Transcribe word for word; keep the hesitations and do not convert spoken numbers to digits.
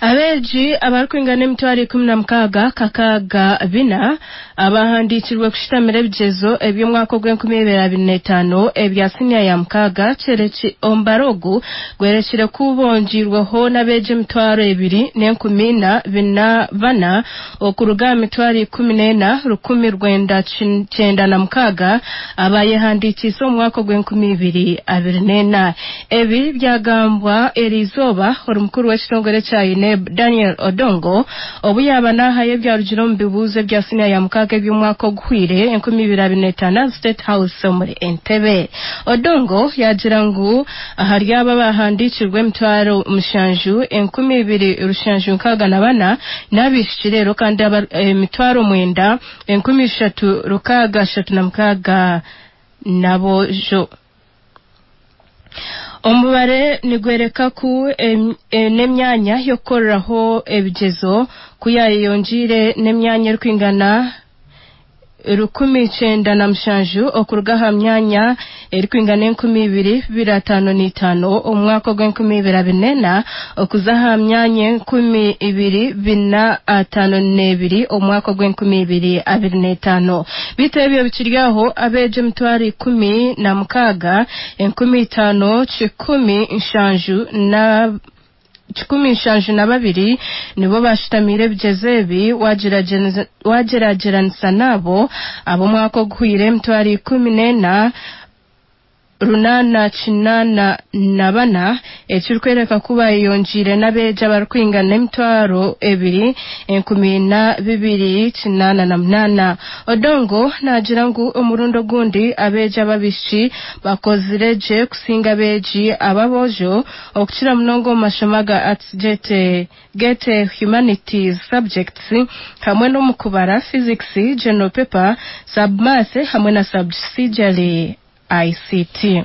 Abeegi abarikwingana emitwaro ikumi na mukaaga kakaaga bina abahandiikirwe kushitamira ebigyezo eby'omwaka ogw'enkumi ibiri abiri n'etaano ebya siniya ya mukaaga omubaro ogu gwerekire ku bongiirweho n'abeegi emitwaro ebiri n'enkumi ina bina bana okuruga aha mitwaro ikumi n'ena rukumi rwenda kyenda na mukaaga abayehandiikiise omu mwaka ogw'enkumi ibiri abiri n'ena. Ebi byagambwa eriizooba omukuru w'ekitongore kya UNEB Daniel Odongo obu yaaba naahayo ebyarugire omu bibuuzo ebya siniya ya mukaaga eby'omwaka oguhwire enkumi ibiri abiri n'etaano aha State House omuri Entebbe. Odongo yaagira ngu ahari abo abahandiikirwe emitwaro mushanju enkumi ibiri rushanju nkaaga na bana n'abaishiki reero kandi emitwaro mwenda enkumi ishatu rukaaga ashatu na mukaaga n'aboojo. Omubare nigwereka ku n'emyanya y'okukoreraho ebigyezo ku yaayeyongiire n'emyanya erikwingana rukumi kyenda na mushanju okuruga aha myanya erikwingana enkumi ibiri bibiri ataano n'itaano omu mwaka ogw'enkumi ibiri abiri n'ena okuza aha myanya enkumi ibiri bina ataano n'ebiri omu mwaka ogw'enkumi ibiri abiri n'etaano. Beitu ebyo bikiri aho abeegi emitwaro ikumi na mukaaga enkumi itaano kikumi nshanju na kikumi nshanju na babiri nibo bashutamiire ebigyezo ebi wagyeragyeranisa n'abo ab'omwaka oguhwire emitwaro ikumi n'ena runaana kinaana na bana ekirikwereka ku bayeyongiire n'abeegi abarikwingana emitwaro ebiri enkumi ina bibiri kinaana na munaana. Odongo naagira ngu omurundi ogundi abeegi ab'abaishiki bakozire gye kusinga abeegi ab'aboojo okukira munonga omu mashomo aga Arts Gete Humanities Subjects hamwe n'omu kubara, Physics, General Paper, Sub-Math hamwe na Subsidiary I C T.